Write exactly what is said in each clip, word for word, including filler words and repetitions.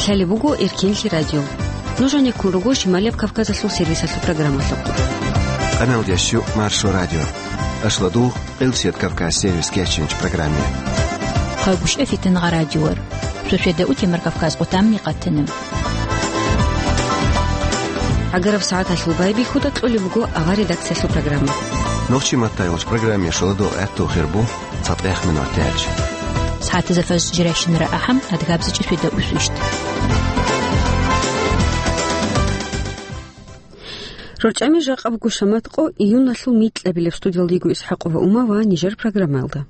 Лъалеб буго Эркенлъи радио. Нуж гьанеккун руго Шималияб Кавказалъул сервисалъул программалъухъ. Къаналдящу Маршо радио. Ашладугъ, Къилсият Кавказ сервис кеченч программе. Хъагушев Фитингъа радиор. Шошеда утемар Кавказ къутамни къатанам. Агараб сагӀаталъул байбихьуда кьолеб буго авар редакциялъул программа. Нохчи маттайолч программе шоладо гӀатту хирбу. ЦатӀех минутач. СагӀатазда фажр жирайщинара ахӀам, адгабзичӀи свида усвищт. РорчӀами жакъа буго шамат къо июналъул микьабилеб. Студиялда йиго ИсхӀакъова Ума ва нижер программаялда.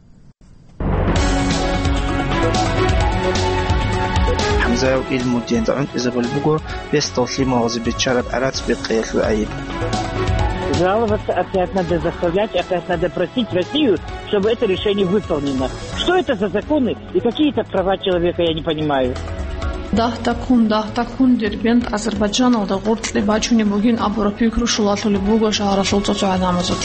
ХӀамзаев Илмудинда гӀунтӀизабулеб буго бесдал лъималазе биччараб гӀарац бекъиялъул гӀайиб. Жаловаться опять надо заставлять, опять надо просить Россию, чтобы это решение выполнено. Что это за законы и какие это права человека, я не понимаю. Дагь такун, дагь такун, Дербент Азербайджаналда гъоркье бачунеб бугин абураб пикру щулалъулеб буго шагьаралъул цо-цо гӀадамазулъ.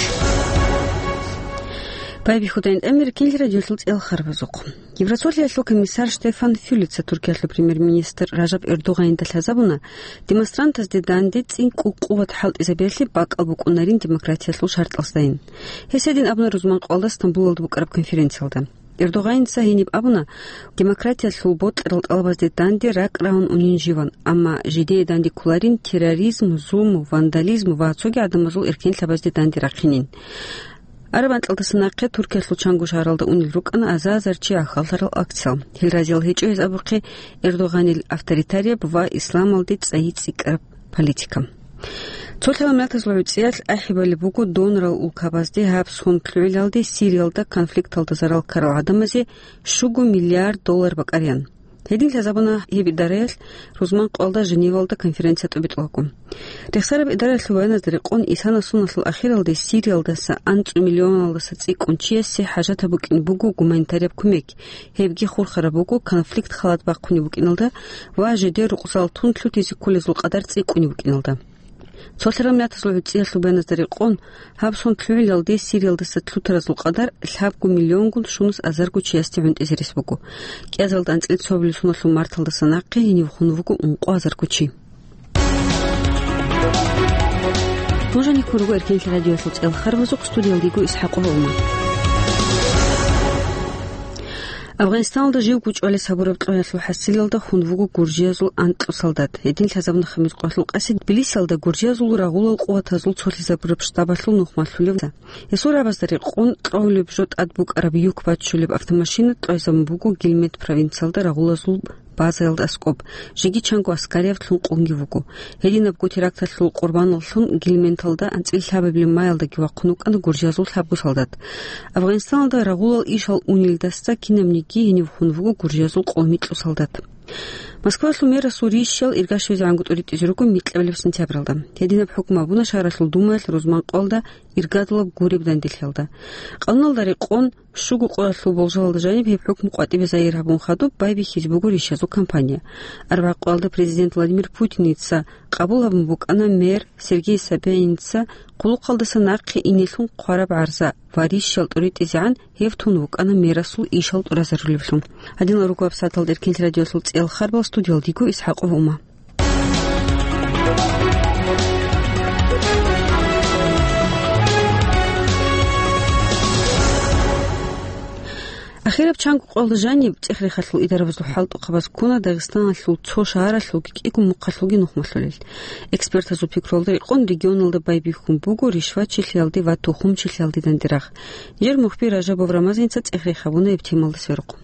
Байбихьудайин тӀамир кин радиолъул цӀел харбазухъ. Евросолиялъул комиссар Штефан Фюлеца Туркиялъул премьер-министр Ражаб Эрдогъанинда лъазабуна демонстрантазде данде цӀикӀкӀун къуват хӀалтӀизабиялъе бакӀал букӀунарин демократиялъул шартӀалъздайин. Гьес гьедин абуна рузман къоялда Стамбулалда букӀараб конференциялда. Эрдогъаница гьениб абуна, демократиялъул бокьарал тӀалабазде данде ракӀ рагьун унин живан, амма жидее данде кколарин терроризм, зулму, вандализм ва цоги гӀадамазул эркенлъабазде данде рахъинин. Араб анкьалдаса нахъе Туркиялъул чанго шагьаралда унел рукӀана азар-азар чи гӀахьаллъарал акциял. Гьел разиял гьечӀо гьез абухъе Эрдогъанил авторитарияб ва исламалде цӀайи цӀикӀкӀараб политика. Цо лъала миллатазул гӀуцӀиялъ ахӀи балеб буго донорал улкабазде гьаб сон лъугӀилалде Сириялда конфликталда зарал ккарал гӀадамазе щуго миллиард доллар бакӀариян. Гьедин лъазабуна гьеб идараялъ рузман къоялда Женевалда конференция тӀобитӀулаго. Рехсараб идараялъул баяназда рекъон, исана соналъул ахиралде Сириялдаса анцӀу миллионалдаса цӀикӀкӀун чиясе хӀажатаб букӀин буго гуманитарияб кумек, гьебги хурхараб буго конфликт халат бахъунеб букӀиналда ва жидер рукъзал тун лъутизе кколезул къадар цӀикӀкӀунеб букӀиналда. Цо лъарал миллатазул гӀуцӀиялъул баяназда рекъон, гьаб сон лъугӀилалде Сириялдаса лъутаразул къадар лъабго миллионгун щунус азарго чиясде гӀунтӀизе рес буго. КӀиазалда анцӀила цо миллион соналъул марталдаса нахъе гьенив хун вуго ункъо азарго чи. Нуж гьанеккун руго Эркенлъи радиоялъул цӀел харбазухъ, студиялда йиго ИсхӀакъова Ума. Афганистаналда живго чӀвалес гьабураб кьвеялъул хӀасилалда хун вуго гуржиязул анкьго солдат. Гьедин лъазабуна Хамил Къвалъул къаси Тбилисиялда гуржиязул рагъулал къуватазул цолъизабураб штабалъул нухмалъулев. Гьесул рабазда рекъон кьолеб жо тӀад букӀараб юк бачулеб автомашина кьвезабун буго Гилмет провинциялда рагъулазул базаялда аскӀоб, жеги чанго аскарияб лъун къунги вуго. Гьединабго теракталъул къурбаналлъун Гилменталда анцӀила лъабабилеб маялдаги вахъун вукӀана гуржиязул лъабго солдат. Афганистаналда рагъулал ишал унелдаса кинабниги гьенив хун вуго гуржиязул къоло микьго солдат. Москвалъул мэрасул рищал иргашвезегӀанго тӀуритӀизе руго микьабилеб сентябралда. Гьединаб хӀукму абуна шагьаралъул думаялъ рузман къоялда иргадулаб гуреб данделъиялда. Къануналда рекъон, щуго къоялъул болжалалда жаниб гьеб хӀукму къватӀибе загьир гьабун хадуб байбихьизе буго рищазул кампания. Арбагъ къоялда президент Владимир Путиница къабул гьабун букӀана мэр Сергей Собяниница хъулухъалдаса нахъе инелъун хъвараб гӀарза ва рищал тӀуритӀизегӀан гьев тун вукӀана мерасул ишал тӀуразарулевлъун. Гьадинал руго гьабсагӀаталда Эркенлъи радиоялъул цӀел харбал, студиялда йиго ИсхӀакъова Ума. Ахираб чанго къоялда жаниб цӀех-рехалъул идарабазул хӀалтӀухъабаз ккуна Дагъистаналъул цо шагьаралъулги кӀиго мухъалъулги нухмалъулел. Экспертазул пикруялда рекъон, регионалда байбихьун буго ришвачилъиялде ва тухумчилъиялде данде рагъ. Нижер мухбир Ражабов Рамазаница цӀех-рех гьабуна гьеб темалда сверухъ.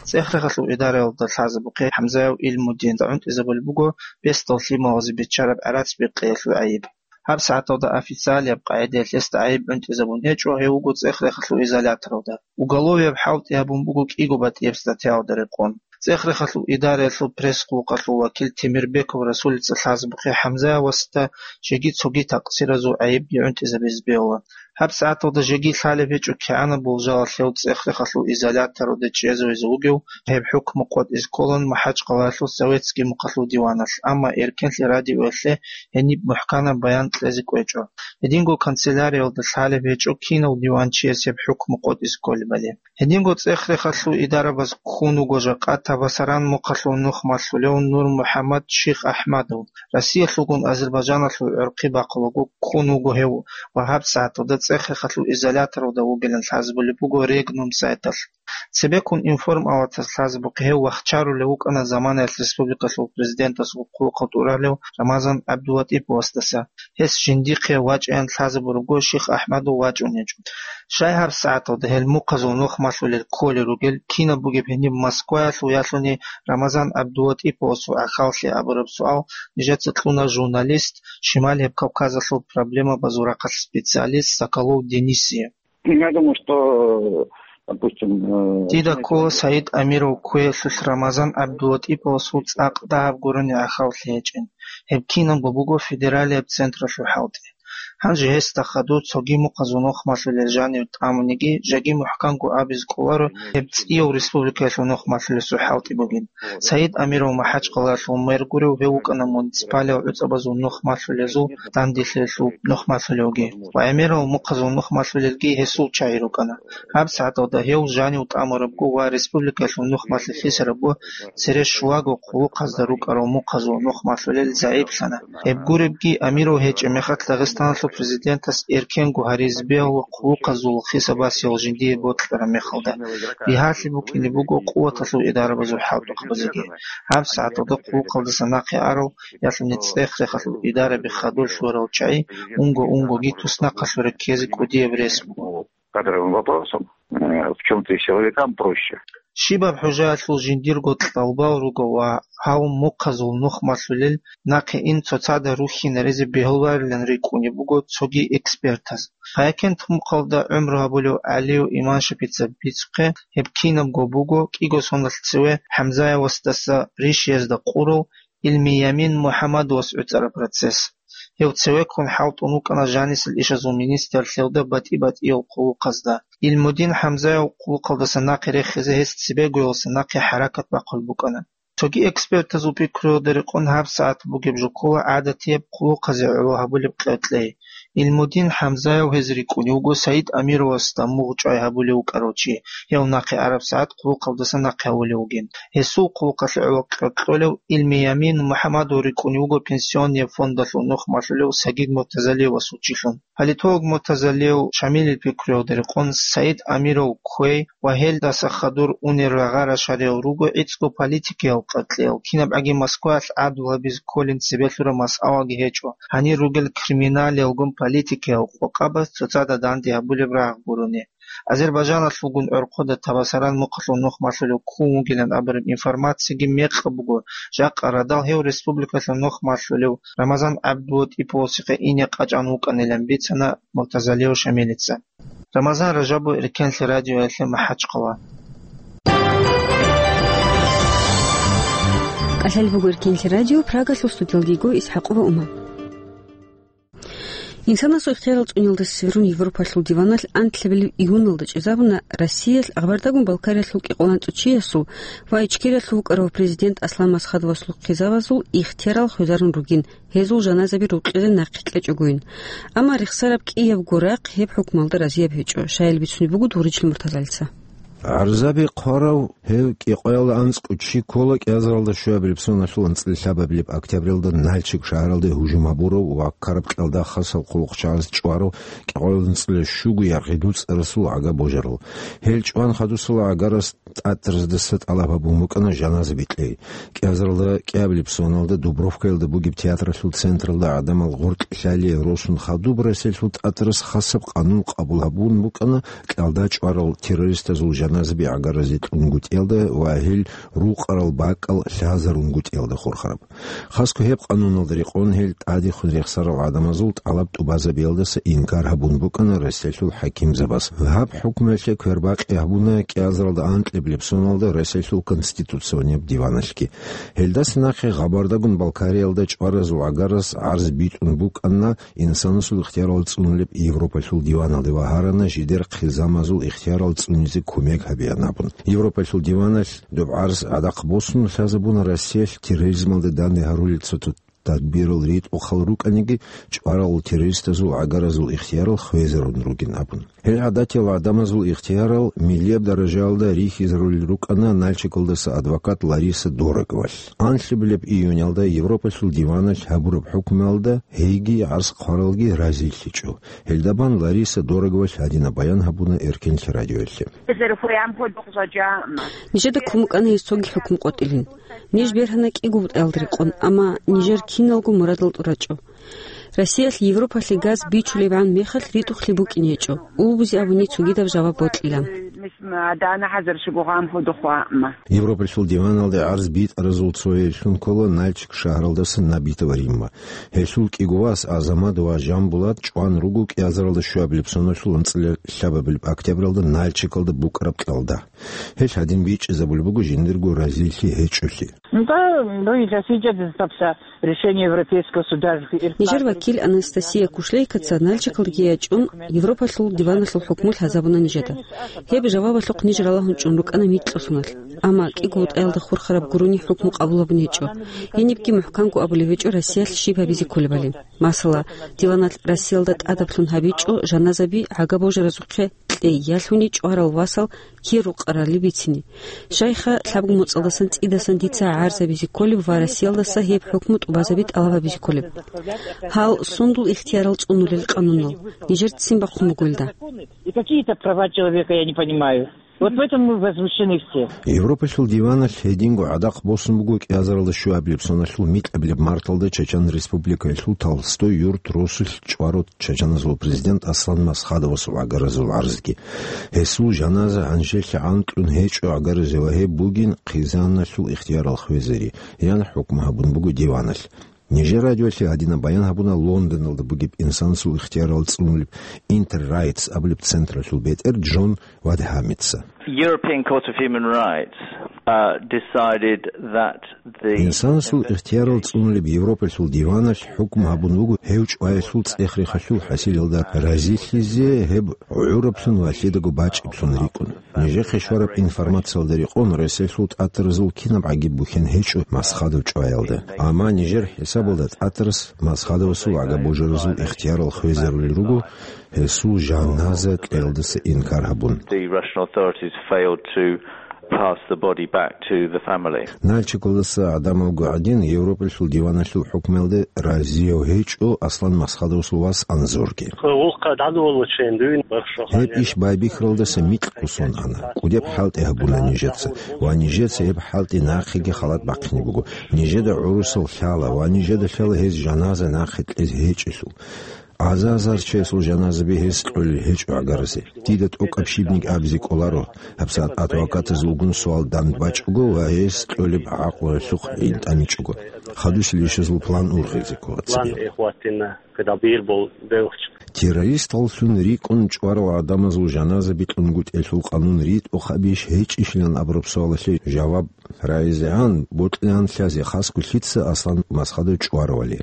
ЦӀех-рехалъул идараялда лъазабухъе ХӀамзаев Илмудинда гӀунтӀизабулеб буго бесдал лъималазе биччараб гӀарац бекъиялъул гӀайиб. ГьабсагӀаталда официалияб къагӀидаялъ гьесда гӀайиб гӀунтӀизабун гьечӀо, гьев вуго цӀех-рехалъул изоляторалда. Уголовияб хӀалтӀи гьабун буго кӀиго батӀияб статьялда рекъон. ЦӀех-рехалъул идараялъул пресс-къуллукъалъул вакил Темирбеков Расулица лъазабухъе ХӀамзаевасда жеги цоги такъсиразул гӀайибги гӀунтӀизабизе бегьула. ГьабсагӀаталда жеги лъалеб гьечӀо кигӀанаб болжалалъ гьев цӀех-рехалъул изоляторалде чӀезавизе вугев, гьеб хӀукму къотӀизе кколаан МахӀачкъалаялъул Советский мухъалъул диваналъ, амма эркенлъи радиоялъе гьениб мухӀканаб баян кьезе кӀвечӀо. Гьединго канцеляриялда лъалеб гьечӀо кинав диванчияс гьеб хӀукму къотӀизе кколебали. Гьединго цӀех-рехалъул идарабаз ккун вуго жакъа Табасаран мухъалъул нухмалъулев Нур-МухӀаммад Ших АхӀмадов. Россиялъулгун Азербайджаналъул гӀорхъи бахъулаго ккун вуго гьев ва гьабсагӀаталда цӀех-рехалъул изоляторалда вугилан лъазабулеб буго Регнум сайталъ. Цебеккун информалатаз лъазабухъе гьев вахчарулев вукӀана заманаялъ республикалъул президентасул хъулухъалда тӀуралев Рамазан ГӀабдулатӀиповасдаса. Гьес жиндихъе вачӀаян лъазабурабго Ших АхӀмадов вачӀун гьечӀо. Щай гьабсагӀаталда гьел мухъазул нухмалъулел кколел ругел, кинаб бугеб гьениб Москваялъул ялъуни Рамазан ГӀабдулатӀиповасул гӀахьаллъи абураб суал нижеца кьуна журналист, Шимал гьеб Кавказалъул проблемабазул рахъалъ специалист Соколов Денисие. Я думаю, что, допустим, э, Дида ккола Саид Амиров кквеялъулъ Рамазан ГӀабдулатӀиповасул цӀакъ дагьаб гурони гӀахьаллъи гьечӀин. Гьеб кинабго буго федералияб централъул хӀалтӀи. Гьанже гьесда хадур цоги мухъазул нухмалъулел жанив тӀамуниги, жеги мухӀканго абизе кӀоларо гьеб цӀияв республикаялъул нухмалъулесул хӀалтӀи бугин. Саид Амиров МахӀачкъалаялъул мэр гурев, гьев вукӀана муниципалиял гӀуцӀабазул нухмалъулезул данделъиялъул нухмалъулевги ва гӀемерал мухъазул нухмалъулелги гьесул чагӀи рукӀана. ГьабсагӀаталда гьев жанив тӀамурабго ва республикаялъул нухмалъи хисарабго цере щулаго хъулухъазда рукӀарал мухъазул нухмалъулел загӀиплъана. Гьеб гуребги, Амиров гьечӀеб мехалъ Дагъистаналъул президентас эркенго гьаризе бегьула хъулухъазул хисабасеял жиндие бокьараб мехалда. Бигьалъи букӀине буго къуваталъул идарабазул хӀалтӀухъабазеги. ГьабсагӀаталда хъулухъалдаса нахъе арал, ялъуни цӀех-рехалъул идараби хадур лъурал чагӀи унго-унгоги туснахъалъуре ккезе кӀудияб рес буго. Кадровым вопросом, э, в чём-то и силовикам проще. Щибаб хӀужаялъул жиндирго кьалбал руго ва гьав мухъазул нухмалъулел нахъе ин цоцазда рухьинаризе бегьуларилан рикӀкӀунеб буго цоги экспертаз. Хъаякент мухъалда гӀумру гьабулев ГӀалиев Иманшапица бицухъе, гьеб кинабго буго кӀиго соналъ цеве ХӀамзаевасдаса Ришиязда къурав Илмиямин МухӀаммадовас гӀуцӀараб процесс. Гьев цевеккун хӀалтӀун вукӀана жанисел ишазул министрлъиялда батӀи-батӀиял хъулухъазда. Илмудин ХӀамзаев хъулухъалдаса нахъе рехизе гьес цебегоялдаса нахъе хӀаракат бахъулеб букӀана. Цоги экспертазул пикруялда рекъон гьабсагӀат бугеб жо ккола гӀадатияб хъулухъазе гӀоло гьабулеб къеркьей. Илмудин ХӀамзаев гьез рикӀкӀунев вуго Саид Амировасда мугъ чӀвай гьабулев вукӀарав чи, гьев нахъе араб сагӀат хъулухъалдаса нахъе гьавулев вугин. Гьесул хъулухъалъе гӀоло къеркьолев Илмиямин МухӀаммадов рикӀкӀунев вуго пенсионный фондалъул нухмалъулев Сагид Муртазалиевасул чилъун. Политолог Муртазалиев Шамилил пикруялда рекъон Саид Амиров кквей ва гьелдаса хадур унел рагъа-рашариял руго гӀицӀго политикиял къеркьеял, кинабгӀаги Москваялъ гӀадвал гьабизе кколин цебе лъураб масъалаги гьечӀо, гьанир ругел криминалиялгун политикиял къокъабаз цоцазда данде гьабулеб рагъ гурони. Азербайджаналъулгун гӀорхъода Табасаран мухъалъул нухмалъулев ккун вугилан абураб информациги мекъаб буго, жакъа радал гьев республикалъул нухмалъулев Рамазан ГӀабдулатӀиповасухъе ине къачӀан вукӀанилан бицана Муртазалиев Шамилица. Рамазан Ражабов, Эркенлъи радиоялъе, МахӀачкъала. КӀалъалеб буго Эркенлъи радио, Прагалъул студиялда йиго ИсхӀакъова Ума. Инсанасул ихтиярал цӀуниялдаса сверун Европалъул диваналъ анлъабилеб июналда чӀезабуна Россиялъ Къабардагун-Балкариялъул кӀикъоялда анцӀго чиясул ва Ичкериялъул вукӀарав президент Аслан Масхадовасул хъизавазул ихтиярал хвезарун ругин, гьезул жаназаби рукъизе нахъе кьечӀогойин. Амма рехсараб кӀиябго рахъ гьеб хӀукмалда разияб гьечӀо, щайил бицунеб буго Дугъричлъи Муртазалица. ГӀарзаби хъварав гьев кӀикъоялда анцӀго чи ккола кӀиазаралда щуабилеб соналъул анцӀила лъабабилеб октябралда Нальчик шагьаралде гьужум гьабурав ва ккараб кьалда хасал хъулухъчагӀаз чӀварав кӀикъоялда анцӀила щуго яргъи дуцӀарасул гӀага божарал. Гьел чӀван хадусала гӀагарас ТӀатӀараздаса тӀалаб гьабун букӀана жаназа бикьей. КӀиазаралда кӀиабилеб соналда Дубровкаялда бугеб театралъул централда гӀадамал гъоркьлъалие росун хадуб Россиялъул ТӀатӀарас хасаб къанун къабул гьабун букӀана кьалда чӀварал террористазул жаназаби гӀагаразе кьунгутӀиялда ва гьел рукъарал бакӀал лъазарунгутӀиялда хурхараб. Хасго гьеб къануналда рекъон гьел тӀадехун рехсарал гӀадамазул тӀалаб тӀубазабиялдаса инкар гьабун букӀана Россиялъул хӀакимзабаз. Гьаб хӀукмуялъе квербакъи гьабуна кӀиазаралда анкьаб бетӀералдасаблеб соналда Россиялъул Конституционияб диваналъги. Гьелдаса нахъе Гъабардагун Балкариялда чӀваразул гӀагарас гӀарз битӀун букӀана инсанасул ихтиярал цӀунулеб Европалъул диваналде ва гьарана жидер хъизамазул ихтиярал цӀунизе кумек гьабеян абун. Европалъул диваналъ доб гӀарз гӀадахъ босун лъазабуна Россиялъ терроризмалда данде гьарулел цо-цо тадбирал ритӀухъал рукӀаниги, чӀварал террористазул гӀагаразул ихтиярал хвезарун ругин абун. Гьел гӀадатиял гӀадамазул ихтиярал миллияб даражаялда рихьизарулел рукӀана Нальчикалдаса адвокат Лариса Дороговалъ. Анлъабилеб июнялда Европалъул диваналъ гьабураб хӀукмуялда гьейги гӀарз хъваралги разилъичӀо. Гьелда бан Лариса Дороговалъ гьадинаб баян гьабуна Эркенлъи радиоялъе. Нижеда ккун букӀана гьез цоги хӀукму къотӀилин. Ниж бергьана кӀиго бутӀаялда рекъон, амма нижер киналго мурадал тӀурачӀо. Россиялъ Европалъе газ бичулебгӀан мехалъ ритӀухълъи букӀине гьечӀо, улбузе абуни цогидаб жаваб бокьилан. Европалъул диваналде гӀарз битӀаразул цояйлъун ккола Нальчик шагьаралдаса Набитова Римма. Гьелъул кӀиго вас Азамат ва Жамбулат чӀван руго кӀиазаралда щуабилеб соналъул анцӀила лъабабилеб октябралда Нальчикалда букӀараб кьалда. Гьелъ гьадин бичӀчӀизабулеб буго жиндирго разилъи гьечӀолъи. Ну да, ну и для сидя достаточно решение Европейского суда. Нижер вакил Анастасия Кушлейкаца Нальчикалдеги ячӀун Европалъул диваналъул хӀукму лъазабуна нижеда. Гьеб жавабалъухъ ниж ралагьун чӀун рукӀана микьалъуналъ. Амма кӀиго бутӀаялда хурхараб гурони хӀукму къабулабун гьечӀо. Гьенибги мухӀканго абулеб гьечӀо Россиялъ щиб гьабизе кколебали. Масала, диваналъ Россиялда тӀадаб лъун гьабичӀо жаназаби гӀага божаразухъе кьей, ялъуни чӀварал васал кир рукъарали бицине. Щайха, лъабго моцӀалдасан цӀидасан дица гӀарзабизе кколеб ва Россиялдаса гьеб хӀукму тӀубазаби тӀалаб гьабизе кколеб. Гьал сундул ихтиярал цӀунулел къанунал? Нижер ццин бахъун буго илда. И какие-то права человека я не понимаю. Вот в этом мы возмущены все. Европалъул диваналъ гьединго гӀадахъ босун буго кӀиазаралда щуабилеб соналъул микьабилеб марталда Чечен Республикаялъул Толстой юрт росулъ чӀварав чеченазул президент Аслан Масхадовасул гӀагаразул гӀарзги. Гьесул жаназа гьанжелъи анкьун гьечӀо гӀагаразе ва гьеб бугин хъизаналъул ихтиярал хвезари, ян хӀукму гьабун буго диваналъ. Нижер радиоялъе гьадинаб баян гьабуна Лондоналда бугеб инсанасул ихтиярал цӀунулеб Интер Райтс абулеб централъул бетӀер Джон Вадхамица. European Court of Human Rights, uh, decided that the Инсанасул ихтиярал цӀунулеб Европалъул диваналъ хӀукму гьабун буго гьев чӀваялъул цӀех-рехалъул хӀасилалда разилъизе гьеб гӀураблъун ва лъидаго бачӀиблъун рикӀкӀун. Нижехъе щвараб информациялда рекъон, Россиялъул тӀатаразул кинаб гӀаги бухьен гьечӀо Масхадов чӀваялда. Амма нижер хӀисабалда тӀатарас Масхадовасул гӀага божаразул ихтиярал хвезарулел руго, гьесул жаназа кьеялдаса инкар гьабун. The Russian authorities failed to pass the body back to the family. Нальчикалдаса гӀадамалго гӀадин, Европалъул диваналъул хӀукмуялде разияв гьечӀо Аслан Масхадовасул вас Анзорги. Гьеб иш байбихьаралдаса микьго сон ана. КӀудеб хӀалтӀи гьабуна нижеца, ва нижеца гьеб хӀалтӀи нахъеги халат бахъине буго. Нижеда гӀурусал лъала ва нижеда лъала гьез жаназа нахъе кьезе гьечӀелъул. Азар-азар чиясул жаназаби гьез кьолел гьечӀо гӀагаразе. Дида тӀокӀаб щибниги абизе кӀоларо, гьабсагӀат адвокатазулгун суал дандбачӀого ва гьез кьолеб гӀакълуялъухъ гӀинтӀамичӀого. Хадусел ишазул план ургъизе ккола цебе. Террористаллъун рикӀкӀун чӀварал гӀадамазул жаназа бикьунгутӀелъул къанун ритӀухъабищ гьечӀищилан абураб суалалъе жаваб рагӀизегӀан бокьилаан лъазе хасго лъица Аслан Масхадов чӀваравали,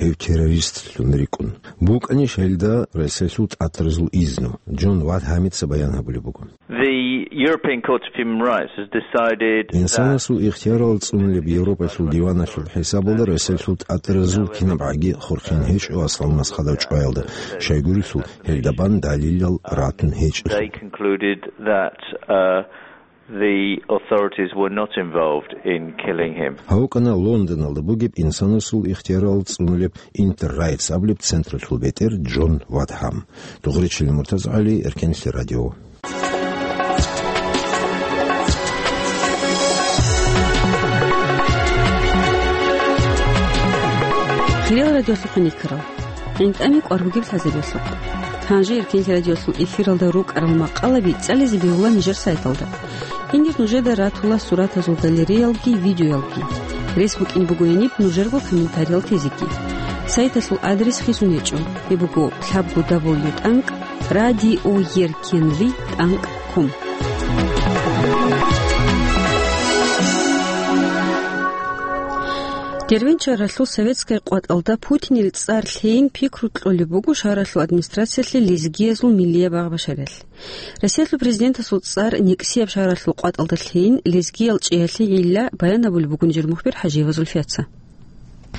гьев террористлъун рикӀкӀун. БукӀанищ гьелда Россиялъул тӀатаразул изну? Джон Вадхамица баян гьабулеб буго. The European Court of Human Rights has decided that Инсанасул ихтиярал цӀунулеб Европалъул диваналъул хӀисабалда Россиялъул тӀатаразул кинаб гӀаги хурхин гьечӀо Аслан Масхадов чӀваялда, щайгурелъул гьелда бан далилал ратун гьечӀелъул. They concluded that, uh, the authorities were not involved in killing him. ГьавкӀана Лондоналда бугеб инсанасул ихтиярал цӀунулеб Интер Райтс абулеб централъул бетӀер Джон Вадхам. Дугъричилин МуртазагӀали, Эркенлъи радио. Хириял радиолъухъ никарал. ГӀинтӀами кӀвар бугеб лъазабиялъухъ. Гьанже Эркенлъи радиолъул эфиралда рукӀарал макъалаби цӀализе бегьула нижер сайталда. Гьенир нужеда ратула суратазул галереялги, видеоялги. Рес букӀин бугояниб нужерго комментариял тезеги. Сайталъул адрес хисун гьечӀо. Гьеб буго лъабго дабл ю тӀанкӀ радиоеркенлъи тӀанкӀ ком. Дербент шагьаралъул советская къватӀалда Путинил цӀар лъейин пикру кьолеб буго шагьаралъул администрациялъе лезгиязул миллияб багъа-бачариялъ. Россиялъул президентасул цӀар нексияб шагьаралъул къватӀалда лъейин лезгиял чӀеялъе гӀилла баян гьабулеб буго нижер мухбир ХӀажиева Зульфияца.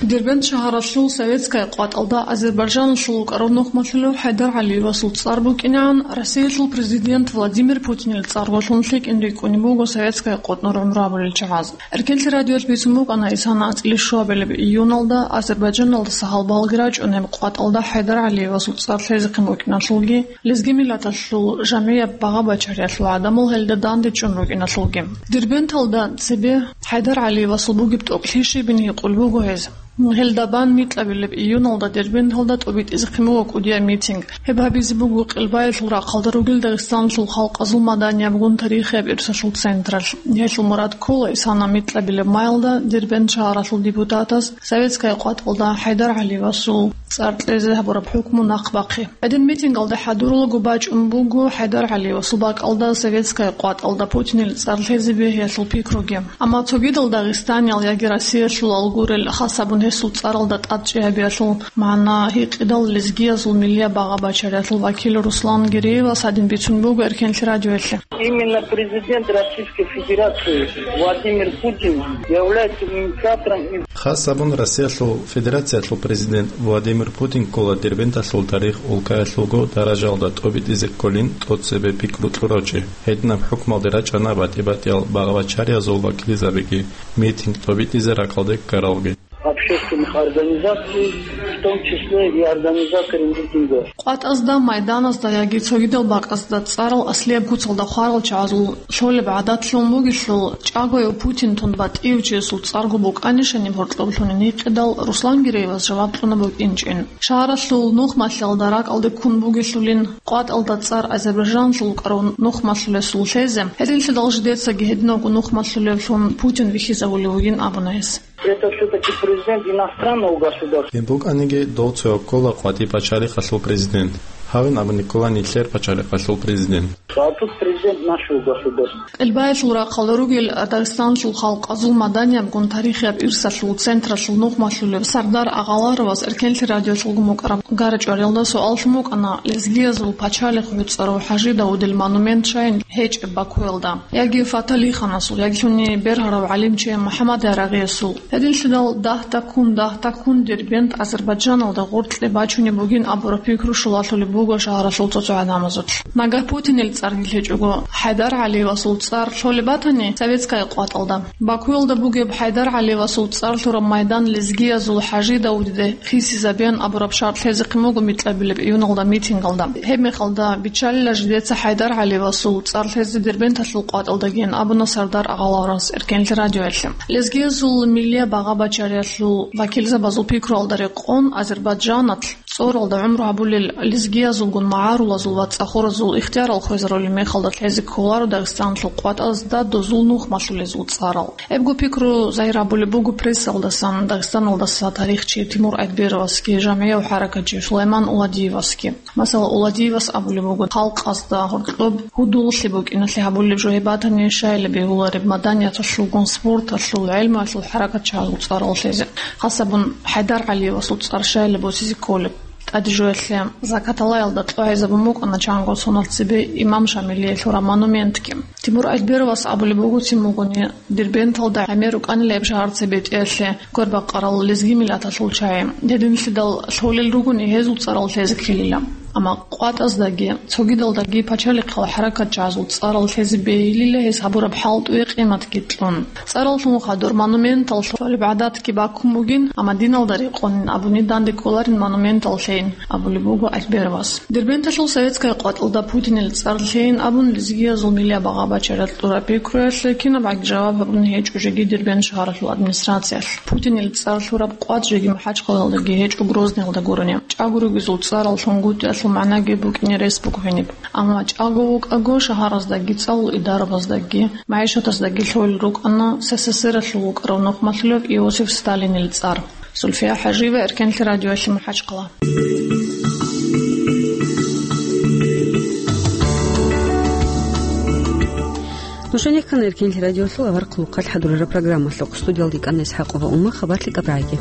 Дербент шагьаралъул советская къватӀалда Азербайджаналъул вукӀарав нухмалъулев ХӀайдар ГӀалиевасул цӀар букӀинегӀан, Россиялъул президент Владимир Путинил цӀаргоялъун лъикӀин рикӀкӀунеб буго советская къотӀнор гӀумру гьабулел чагӀаз. Эркенлъи радиоялъ бицун букӀана исана анцӀила щуабилеб июналда Азербайджаналдаса гьалбалги рачӀунеб къватӀалда ХӀайдар ГӀалиевасул цӀар лъезехъин букӀиналъулги, лезги миллаталъул жамгӀияб багъа-бачариялъул гӀадамал гьелда дандечӀун рукӀиналъулги. Дербенталда цебе ХӀайдар ГӀалиевасул бугеб тӀокӀлъи щибин гьикъулеб буго гьез. Гьелда бан микьабилеб июналда Дербенталда тӀобитӀизехъин буго кӀудияб митинг. Гьеб гьабизе буго Къелбаялъул рахъалда ругел Дагъистаналъул халкъазул маданиябгун тарихияб ирсалъул централъ. Гьелъул мурад ккола исана микьабилеб маялда Дербент шагьаралъул депутатаз советская къватӀалда ХӀайдар ГӀалиевасул цӀар лъезе гьабураб хӀукму нахъ бахъи. Гьедин митингалда хӀадурулаго бачӀун буго ХӀайдар ГӀалиевасул бакӀалда советская къватӀалда Путинил цӀар лъезе бегьиялъул пикруги. Амма цогидал дагъистаниял яги Россиялъулал гурел, хас гьабун гьесул цӀаралда тӀадчӀей гьабиялъул магӀна гьикъидал лезгиязул миллияб багъа-бачариялъул вакил Руслан Гиреевас гьадин бицун буго Эркенлъи радиоялъе. Именно президент Российской Федерации Владимир Путин является инициатором и Хас гьабун Россиялъул Федерациялъул президент Владимир Путин ккола Дербенталъул тарих улкаялъулго даражаялда тӀобитӀизе кколин тӀоцебе пикру кьурав чи. Гьединаб хӀукмалде рачӀана батӀи-батӀиял багъа-бачариязул вакилзабиги, митинг тӀобитӀизе ракӀалде ккаралги. Общественных организаций, в том числе и организаторы митинга. КъватӀазда, майданазда яги цогидал бакӀазда цӀарал аслияб куцалда хварал чагӀазул лъолеб гӀадатлъун бугелъул, чӀагояв Путин тун батӀияв чиясул цӀарго букӀанищани гьоркьоб лъунин гьикъидал, Руслан Гиреевас жаваб кьуна букӀинчӀин. Шагьаралъул нухмалъиялда ракӀалде ккун бугелъулин къватӀалда цӀар Азербайджаналъул вукӀарав нухмалъулесул лъезе, гьединлъидал жидецаги гьединавго нухмалъулевлъун Путин вихьизавулев вугин абуна гьес. Это всё-таки президент иностранного государства. Гьеб букӀаниги дов цо ккола къватӀи пачалихъалъул президент. Гьавин абуни ккола нилъер пачалихъалъул президент. А тут президент нашего государства. Къелбаялъул рахъалда ругел Дагъистаналъул халкъазул маданиябгун тарихияб ирсалъул централъул нухмалъулев Сардар Агъаларовас Эркенлъи радиоялъулго мукӀараб гарачӀвариялда суал лъун букӀана, лезгиязул пачалихъ гӀуцӀарав ХӀажи Давудил монумент щайин гьечӀеб Бакуялда, яги Фаталиханасул, яги лъуни бергьарав гӀалимчи МухӀаммад Ярагъиясул. Гьединлъидал дагь такун, дагь такун Дербент Азербайджаналда гъоркье бачунеб бугин абураб пикру щулалъулеб буго шагьаралъул цо-цо гӀадамазулъ. Нагагь Путинил цӀарги лъечӀого, ХӀайдар ГӀалиевасул цӀар лъолеб батани советская къватӀалда. Бакуялда бугеб ХӀайдар ГӀалиевасул цӀар лъураб майдан лезгиязул ХӀажи Давудиде хисизабеян абураб шартӀ лъезехъин буго микьабилеб июналда митингалда. Гьеб мехалда, биччалила жидеца ХӀайдар ГӀалиевасул цӀар лъезе Дербенталъул къватӀалдагиян абуна Сардар Агъаларовас Эркенлъи радиоялъе. Лезгиязул миллияб багъа-бачариялъул вакилзабазул пикруялда рекъон Азербайджаналъ цӀоралда гӀумру гьабулел лезгиязулгун магӀарулазул ва цӀахоразул ихтиярал хвезарулел мехалда лъезе кколаро Дагъистаналъул къватӀазда дозул нухмалъулезул цӀарал. Гьебго пикру загьир гьабулеб буго прессалдасан Дагъистаналдаса тарихчи Тимур Айдберовасги, жамгӀияв хӀаракатчи Сулайман Уладиевасги. Масала, Уладиевас абулеб буго, халкъазда гьоркьоб гьудуллъи букӀиналъе гьабулеб жо гьеб батани, щайила бегьулареб маданияталъулгун, спорталъул, гӀелмуялъул хӀаракатчагьазул цӀарал лъезе. Хасабун ХӀайдар ГӀалиевасул цӀар щайила босизе кколеб. ТӀаде жоялъе Закаталаялда кьогӀизабун букӀана чанго соналъ цебе имам Шамилие лъураб монументги. Тимур Айдберовас абулеб буго, цин бугони, Дербенталда гӀемер рукӀанила гьеб шагьар цебетӀеялъе гурбакъарал лезги миллаталъул чагӀи. Гьединлъидал лъолел ругони гьезул цӀарал лъезе ккелила. Амма къватӀаздаги, цогидалдаги пачалихъал хӀаракатчагьазул цӀарал лъезе бегьилила гьез гьабураб хӀалтӀуе къиматги кьун. ЦӀарал лъун хадур монументал лъолеб гӀадатги баккун бугин, амма диналда рекъонин абуни данде кколарин монументал лъейин, абулеб буго Айдберовас. Дербенталъул советская къватӀалда Путинил цӀар лъейин абун лезгиязул миллияб багъа-бачариялъ кьураб пикруялъе кинабгӀаги жаваб гьабун гьечӀо жеги Дербент шагьаралъул администрациялъ. Путинил цӀар лъураб къват жеги МахӀачхъалаялдаги гьечӀо, Грозныйалда гурони. ЧӀаго ругезул цӀарал лъунгутӀиялъул магӀнаги букӀине рес буго гьениб. Амма чӀаго вукӀаго шагьараздаги цӀалул идарабаздаги, магӀишатаздаги лъолел рукӀана СССР-алъул вукӀарав нухмалъулев Иосиф Сталинил цӀар. Зульфия ХӀажиева, Эркенлъи радиоялъе, МахӀачхъала. Нуша нехъана Эркенлъи радиолъул авар хъулухъалъ хӀадурараб программалъухъ. Студиялда йикӀана ИсхӀакъова Ума, хабарлъи КӀабрайги.